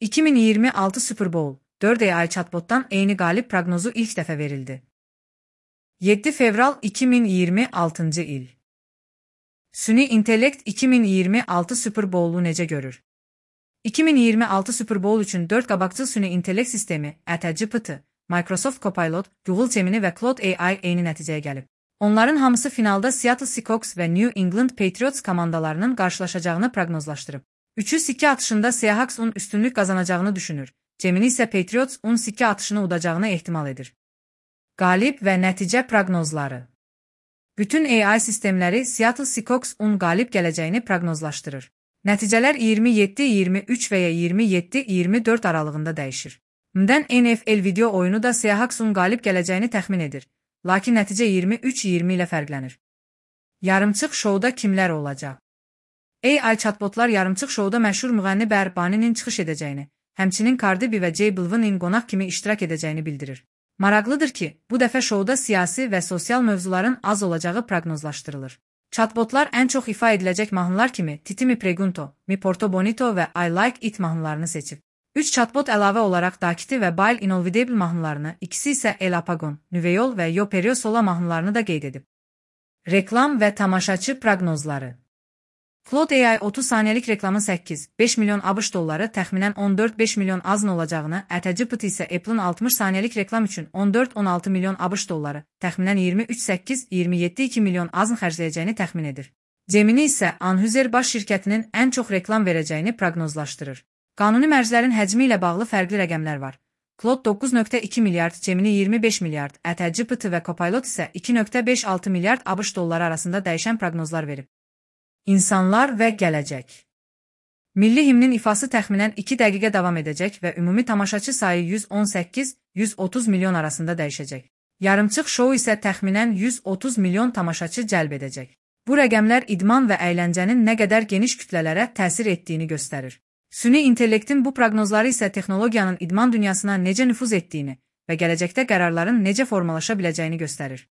2026 Super Bowl, 4 AI chatbotdan eyni qalib proqnozu ilk dəfə verildi. 7 fevral 2026 il. Süni intellekt 2026 Super Bowl'u necə görür? 2026 Super Bowl üçün 4 qabaqcıl süni intellekt sistemi, GPT, Microsoft Copilot, Google Gemini və Claude AI eyni nəticəyə gəlib. Onların hamısı finalda Seattle Seahawks və New England Patriots komandalarının qarşılaşacağını proqnozlaşdırıb. Üçü sikkə atışında Seahawks'un üstünlük qazanacağını düşünür. Gemini isə Patriots'un sikkə atışını udacağını ehtimal edir. Qalib və nəticə proqnozları. Bütün AI sistemləri Seattle Seahawks'un qalib gələcəyini proqnozlaşdırır. Nəticələr 27-23 və ya 27-24 aralığında dəyişir. Mdən NFL video oyunu da Seahawks'un qalib gələcəyini təxmin edir. Lakin nəticə 23-20 ilə fərqlənir. Yarımçıq şouda kimlər olacaq? AI chatbotlar yarımçıq şouda məşhur müğənni Bad Bunny'nin çıxış edəcəyini, həmçinin Cardi B və J Balvin'in qonaq kimi iştirak edəcəyini bildirir. Maraqlıdır ki, bu dəfə şouda siyasi və sosial mövzuların az olacağı proqnozlaşdırılır. Chatbotlar ən çox ifa ediləcək mahnılar kimi Titi Mi Pregunto, Mi Porto Bonito və I Like It mahnılarını seçib. 3 chatbot əlavə olaraq Dakiti və Bail Inolvidable mahnılarını, ikisi isə El Apagon, Nüveyol və Yo Perio Sola mahnılarını da qeyd edib. Reklam və tamaşaçı proqnozları. Claude AI 30 saniyəlik reklamın 8-5 milyon ABŞ dolları, təxminən 14-5 milyon azın olacağını, GPT isə Apple'ın 60 saniyəlik reklam üçün 14-16 milyon ABŞ dolları, təxminən 23-8-27-2 milyon azın xərcləyəcəyini təxmin edir. Gemini isə Anheuser Busch şirkətinin ən çox reklam verəcəyini proqnozlaşdırır. Qanuni mərclərin həcmi ilə bağlı fərqli rəqəmlər var. Claude 9.2 milyard, Gemini 25 milyard, GPT və Copilot isə 2.56 milyard ABŞ dolları arasında dəyişən proqnozlar verib. İnsanlar və gələcək. Milli himnin ifası təxminən 2 dəqiqə davam edəcək və ümumi tamaşaçı sayı 118-130 milyon arasında dəyişəcək. Yarımçıq şou isə təxminən 130 milyon tamaşaçı cəlb edəcək. Bu rəqəmlər idman və əyləncənin nə qədər geniş kütlələrə təsir etdiyini göstərir. Süni intellektin bu proqnozları isə texnologiyanın idman dünyasına necə nüfuz etdiyini və gələcəkdə qərarların necə formalaşa biləcəyini göstərir.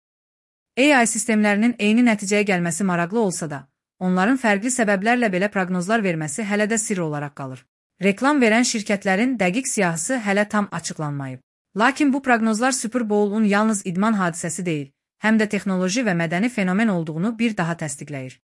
AI sistemlərinin eyni nəticəyə gəlməsi maraqlı olsa da, onların fərqli səbəblərlə belə proqnozlar verməsi hələ də sirr olaraq qalır. Reklam verən şirkətlərin dəqiq siyahısı hələ tam açıqlanmayıb. Lakin bu proqnozlar Super Bowl-un yalnız idman hadisəsi deyil, həm də texnoloji və mədəni fenomen olduğunu bir daha təsdiqləyir.